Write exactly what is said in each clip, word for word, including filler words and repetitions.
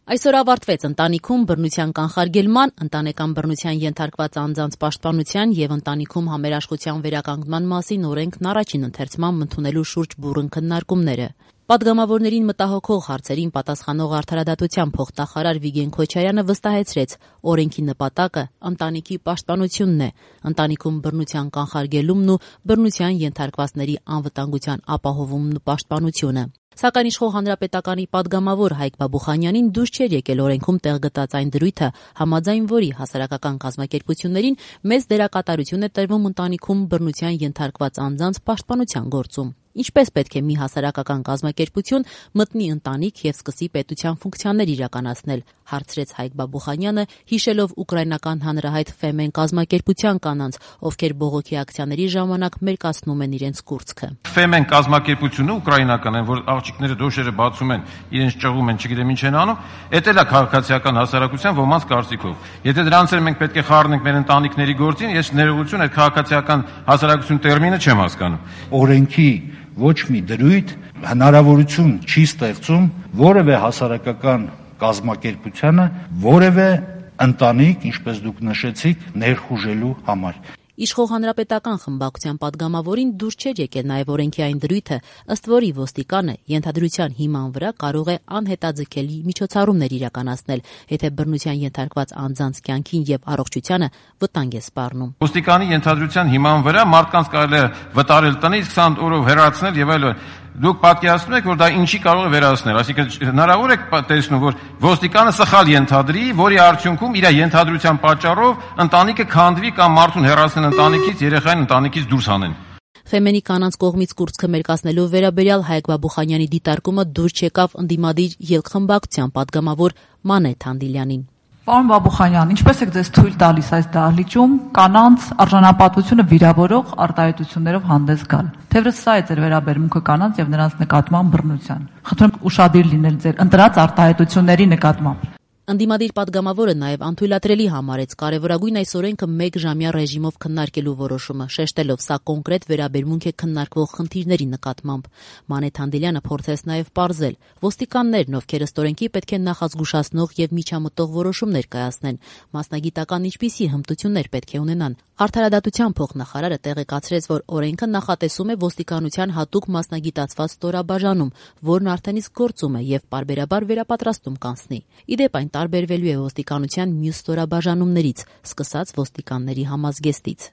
Այսօր ավարտվեց ընտանիքում բռնության կանխարգելման, ընտանեկան բռնության ենթարկված անձանց պաշտպանության և ընտանիքում համերաշխության վերականգնման մասին օրենքն առաջին ընթերցման ընդունելու շուրջ բուռն քննարկումները։ Պատգամավորներին մտահոգող հարցերին պատասխանող արդարադատության փոխնախարար Վիգեն Քոչարյանը վստահեցրեց, օրենքի նպատակը ընտանիքի պաշտպանությունն է, ընտանիքում բռնության կանխարգելումն ու բռնության ենթարկվածների անվտանգության ապահովումն ու պաշտպանությունը։ Սակայն իշխող հանրապետականի պատգամավոր Հայկ Բաբուխանյանին դուրս չէր եկել օրենքում տեղ գտած այն դրույթը, համաձայն որի հասարակական կազմակերպություններին մեծ դերակատարություն է տրվում ընտանիքում բռնության ենթարկված անձանց պաշտպանության գործում։ Ինչպես պետք է մի հասարակական կազմակերպություն մտնի ընտանիք և սկսի պետության ֆունկցիաներ իրականացնել, հարցրեց Հայկ Բաբուխանյանը, հիշելով ուկրաինական հանրահայտ Ֆեմեն կազմակերպության կանանց, ովքեր բողոքի ակցիաների ժամանակ մերկացնում են իրենց կուրծքը։ Ֆեմեն կազմակերպությունը ուկրաինական են, որ աղջիկները դոշերը բացում են, իրենց ճղում են, չգիտեմ ինչ են անում, էդ էլ է քաղաքացիական հասարակության ոմանց կարծիքով։ Եթե դրանց էլ մենք պետք է խառնենք մեր ընտանիքների գործին, ես ներողություն այդ քաղաքացիական հասարակություն տերմինը չեմ հասկանում։ Օրենքի ոչ մի դրույթ հնարավորություն չի ստեղծում որևէ հասարակական կազմակերպությանը որևէ ընտանիք, ինչպես դուք նշեցիք, ներխուժելու համար։ Իշխող հանրապետական խմբակցության պատգամավորին դուրս չէր եկել նաև օրենքի այն դրույթը, ըստ որի ոստիկանը ենթադրության հիման վրա կարող է անհետաձգելի միջոցառումներ իրականացնել, եթե բռնության ենթարկված անձանց կյանքին և առողջությանը վտանգ է սպառնում։ Ոստիկանի ենթադրության հիման վրա մարդկանց կարելի է վտարել տնից, քսան օրով հեռացնել եւ այլն։ Դուք պատկերացնում եք, որ դա ինչի կարող է վերացնել, այսինքն հնարավոր է տեսնում, որ ոստիկանը սխալ ենթադրի, որի արդյունքում իր ենթադրության պատճառով ընտանիքը քանդվի կամ մարդուն հեռացնեն ընտանիքից, երեխային ընտանիքից դուրս հանեն։ Ֆեմենի կանանց կողմից կուրծքը մերկացնելու վերաբերյալ Հայկ Բաբուխանյանի դիտարկումը դուրս չեկավ ընդդիմադիր ելք-խմբակցության պատգամավոր Մանե Թանդիլյանին։ Պարոն Բաբուխանյան, ինչպես եք ձեզ թույլ տալիս այս դահլիճում կանանց արժանապատվությունը վիրավորող արտահայտություններով հանդես գալ։ Թեևս սա է ձեր վերաբերմունքը կանանց եւ նրանց նկատմամբ բռնության։ Խնդրում եմ ուշադիր լինել ձեր ընտրած արտահայտությունների նկատմամբ։ Ընդդիմադիր պատգամավորը նաև անթույլատրելի համարեց կարևորագույն այս օրենքը մեկ ժամյա ռեժիմով քննարկելու որոշումը, շեշտելով սա կոնկրետ վերաբերմունք է քննարկվող խնդիրների նկատմամբ։ Մանե Թանդիլյանը փորձեց նաև պարզել, ոստիկաններն, ովքեր ըստ օրենքի պետք է նախազգուշացնող եւ միջամտող որոշումներ կայացնեն, մասնագիտական ինչպիսի հմտություններ պետք է ունենան։ Արդարադատության փոխնախարարը տեղեկացրեց, որ օրենքը նախատեսում է ոստիկանության հատուկ մասնագիտացված ստորաբաժանում, որն արդեն իսկ գործում է եւ պարբերաբար վերապատրաստում կանցնի։ Ի դեպ այն տարբերվելու է ոստիկանության մյուս ստորաբաժանումներից, սկսած ոստիկանների համազգեստից։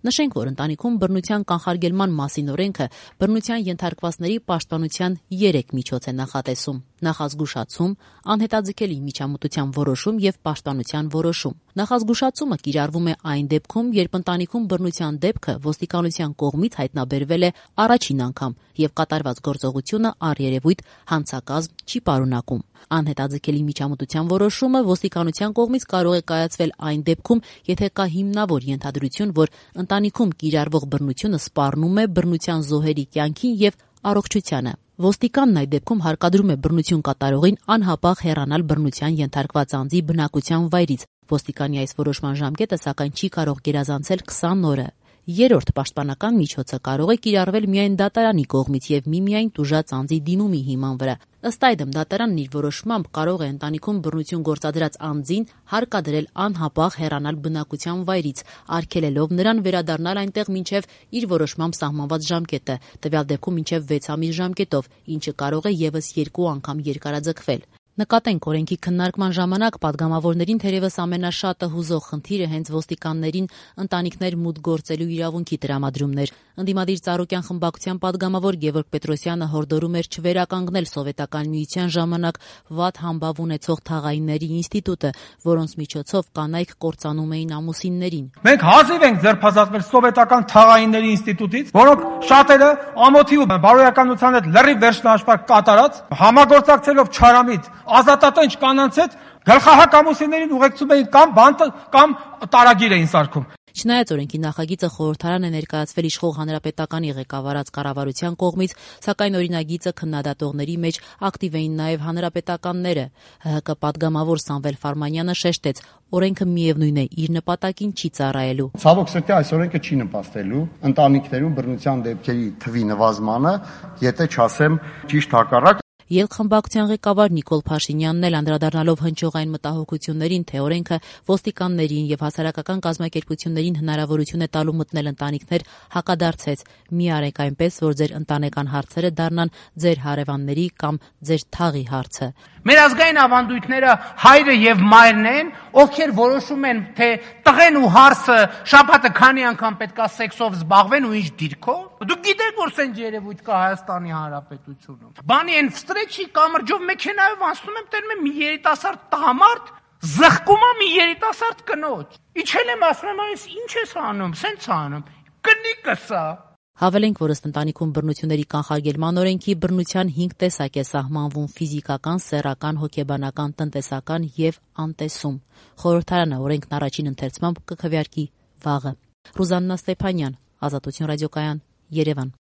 Նշենք, որ ընտանիքում բռնության կանխարգելման մասին օրենքը բռնության ենթարկվածների պաշտպանության երեք միջոց է նախատեսում՝ նախազգուշացում, անհետաձգելի միջամտության որոշում եւ պաշտպանության որոշում։ Նախազգուշացումը կիրառվում է այն դեպքում, երբ ընտանիքում բռնության դեպքը ոստիկանության կողմից հայտնաբերվել է առաջին անգամ եւ կատարված գործողությունը առերևույթ հանցակազմ չի պարունակում։ Անհետաձգելի միջամտության որոշումը ոստիկանության կողմից կարող է կայացվել այն դեպքում, եթե կա հիմնավոր ենթադրություն, որ ընտանիքում կիրառվող բռնությունը սպառնում է բռնության զոհերի կյանքին եւ առողջությանը։ Ոստիկանն այդ դեպքում հարկադրում է բռնություն կատարողին անհապաղ հեռանալ բռնության ենթարկված անձի բնակության վայրից։ Ոստիկանի այս որոշման ժամկետը սակայն չի կարող գերազանցել քսան օրը։ Երրորդ պաշտպանական միջոցը կարող է կիրառվել միայն դատարանի կողմից եւ միմիայն տուժած անձի դիմումի հիման վրա։ Ըստ այդմ դատարանն իր որոշմամբ կարող է ընտանիքում բռնություն գործադրած անձին հարկադրել անհապաղ հեռանալ բնակության վայրից, արգելելով նրան վերադառնալ այնտեղ մինչև իր որոշմամբ սահմանված ժամկետը, տվյալ դեպքում մինչև վեց ամիս ժամկետով, ինչը կարող է եւս երկու անգամ երկարաձգվել։ Նկատենք, օրենքի քննարկման ժամանակ պատգամավորներին թերևս ամենաշատը հուզող խնդիրը հենց ոստիկաններին ընտանիքներ մուտք գործելու իրավունքի տրամադրումն էր։ Ընդդիմադիր Ծառուկյան խմբակցության պատգամավոր Գևորգ Պետրոսյանը հորդորում էր չվերականգնել Սովետական միության ժամանակ վատ համբավ ունեցող թաղայինների ինստիտուտը, որոնց միջոցով կանայք կործանում էին ամուսիններին։ Մենք հազիվ ենք ձերբազատվել սովետական թաղայինների ինստիտուտից, որոնք շատերը ամոթի ու բարոյականության հետ լրիվ վերջնահաշվարկ կատարած, համագործակցելով չարամիտ ազատատենչ կանանց հետ գլխահակ ամուսիններին ուղեկցում էին կամ բանտ կամ տարագիր էին սարքում։ Չնայած օրենքի նախագիծը խորհրդարան է ներկայացվել իշխող հանրապետականի ղեկավարած կառավարության կողմից, սակայն օրինագիծը քննադատողների մեջ ակտիվ էին նաև հանրապետականները։ ՀՀԿ պատգամավոր Սամվել Ֆարմանյանը շեշտեց, օրենքը միևնույն է իր նպատակին չի ծառայելու։ Ցավոք սրտի այս օրենքը չի նպաստելու ընտանիքներում բռնության դեպքերի թվի նվազմանը, եթե չասեմ ճիշտ հակառակ։ Ելք-խմբակցության ղեկավար Նիկոլ Փաշինյանն էլ անդրադառնալով հնչողային մտահոգություններին, թե օրենքը ոստիկաններին եւ հասարակական կազմակերպություններին հնարավորություն է տալու մտնել ընտանիքներ, հակադարձեց. «Մի արեք այնպես, որ ձեր ընտանեկան հարցերը դառնան ձեր հարևանների կամ ձեր թաղի հարցը»։ Մեր ազգային ավանդույթները հայրը եւ մայրն են, ովքեր որոշում են, թե տղեն ու հարսը շաբաթը քանի անգամ պետքա սեքսով զբաղվեն ու ինչ դիրքով։ Դուք գիտեք, որ սենց երևույթ կա Հայաստանի Հանրապետությունում։ Բանի են վստրեչի կամրջով մեքենայով անցնում եմ, տերում եմ մի երիտասարդ տղամարդ, զղկում է մի երիտասարդ կնոջ։ Իջել եմ, ասում եմ, այս ինչ ես անում, սենց անում։ Կնիկս է։ Հավելենք, որ ըստ ընտանիքում բռնությունների կանխարգելման օրենքի բռնության հինգ տեսակ է սահմանվում՝ ֆիզիկական, սեռական, հոգեբանական, տնտեսական եւ անտեսում։ Խորհրդարանը օրենքն առաջին ընթերցմամբ կքվեարկի վաղը։ Ռուզաննա Ստեփանյան, Ազատություն ռադիոկայան, Երևան։